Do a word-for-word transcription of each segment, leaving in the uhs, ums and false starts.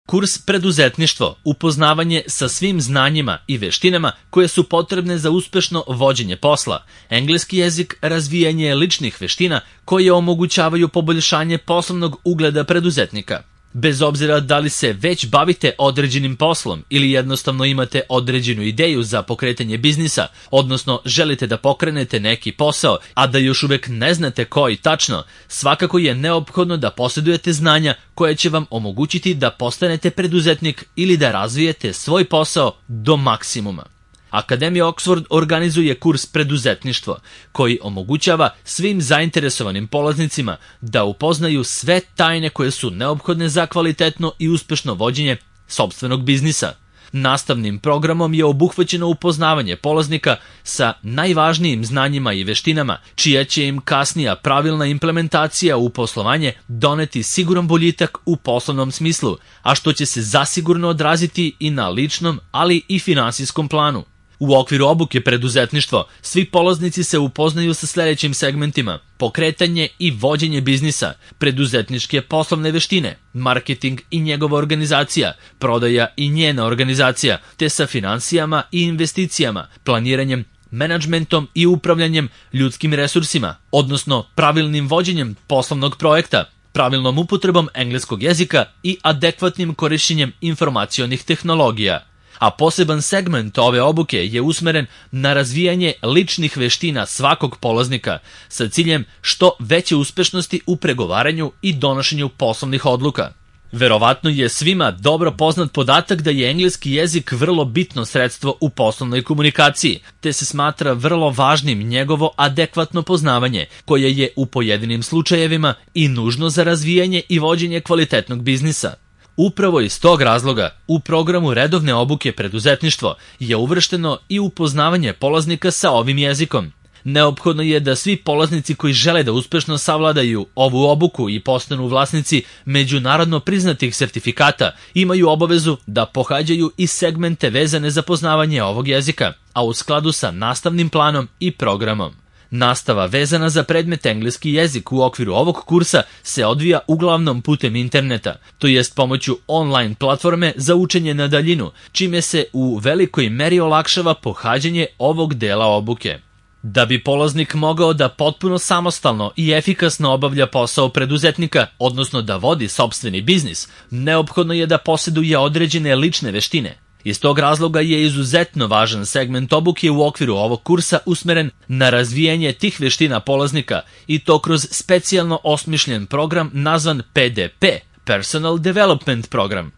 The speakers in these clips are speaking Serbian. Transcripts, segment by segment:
Kurs preduzetništvo, upoznavanje sa svim znanjima i veštinama koje su potrebne za uspešno vođenje posla, engleski jezik, razvijanje ličnih veština koje omogućavaju poboljšanje poslovnog ugleda preduzetnika. Bez obzira da li se već bavite određenim poslom ili jednostavno imate određenu ideju za pokretanje biznisa, odnosno želite da pokrenete neki posao, a da još uvek ne znate koji tačno, svakako je neophodno da posjedujete znanja koje će vam omogućiti da postanete preduzetnik ili da razvijete svoj posao do maksimuma. Akademija Oxford organizuje kurs preduzetništvo, koji omogućava svim zainteresovanim polaznicima da upoznaju sve tajne koje su neophodne za kvalitetno i uspešno vođenje sopstvenog biznisa. Nastavnim programom je obuhvaćeno upoznavanje polaznika sa najvažnijim znanjima i veštinama, čija će im kasnija pravilna implementacija u poslovanje doneti siguran boljitak u poslovnom smislu, a što će se zasigurno odraziti i na ličnom, ali i finansijskom planu. U okviru obuke preduzetništvo, svi polaznici se upoznaju sa sljedećim segmentima: pokretanje i vođenje biznisa, preduzetničke poslovne veštine, marketing i njegova organizacija, prodaja i njena organizacija, te sa finansijama i investicijama, planiranjem, menadžmentom i upravljanjem ljudskim resursima, odnosno pravilnim vođenjem poslovnog projekta, pravilnom upotrebom engleskog jezika i adekvatnim korišćenjem informacionih tehnologija. A poseban segment ove obuke je usmeren na razvijanje ličnih veština svakog polaznika sa ciljem što veće uspešnosti u pregovaranju i donošenju poslovnih odluka. Verovatno je svima dobro poznat podatak da je engleski jezik vrlo bitno sredstvo u poslovnoj komunikaciji, te se smatra vrlo važnim njegovo adekvatno poznavanje, koje je u pojedinim slučajevima i nužno za razvijanje i vođenje kvalitetnog biznisa. Upravo iz tog razloga, u programu redovne obuke preduzetništvo je uvršteno i upoznavanje polaznika sa ovim jezikom. Neophodno je da svi polaznici koji žele da uspešno savladaju ovu obuku i postanu vlasnici međunarodno priznatih sertifikata imaju obavezu da pohađaju i segmente vezane za poznavanje ovog jezika, a u skladu sa nastavnim planom i programom. Nastava vezana za predmet engleski jezik u okviru ovog kursa se odvija uglavnom putem interneta, to jest pomoću online platforme za učenje na daljinu, čime se u velikoj meri olakšava pohađanje ovog dela obuke. Da bi polaznik mogao da potpuno samostalno i efikasno obavlja posao preduzetnika, odnosno da vodi sopstveni biznis, neophodno je da posjeduje određene lične veštine. Iz tog razloga je izuzetno važan segment obuke u okviru ovog kursa usmeren na razvijanje tih veština polaznika i to kroz specijalno osmišljen program nazvan P D P, Personal Development Program.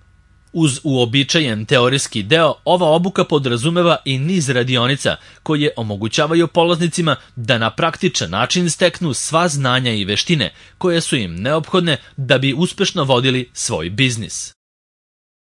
Uz uobičajen teorijski deo, ova obuka podrazumeva i niz radionica koje omogućavaju polaznicima da na praktičan način steknu sva znanja i veštine koje su im neophodne da bi uspešno vodili svoj biznis.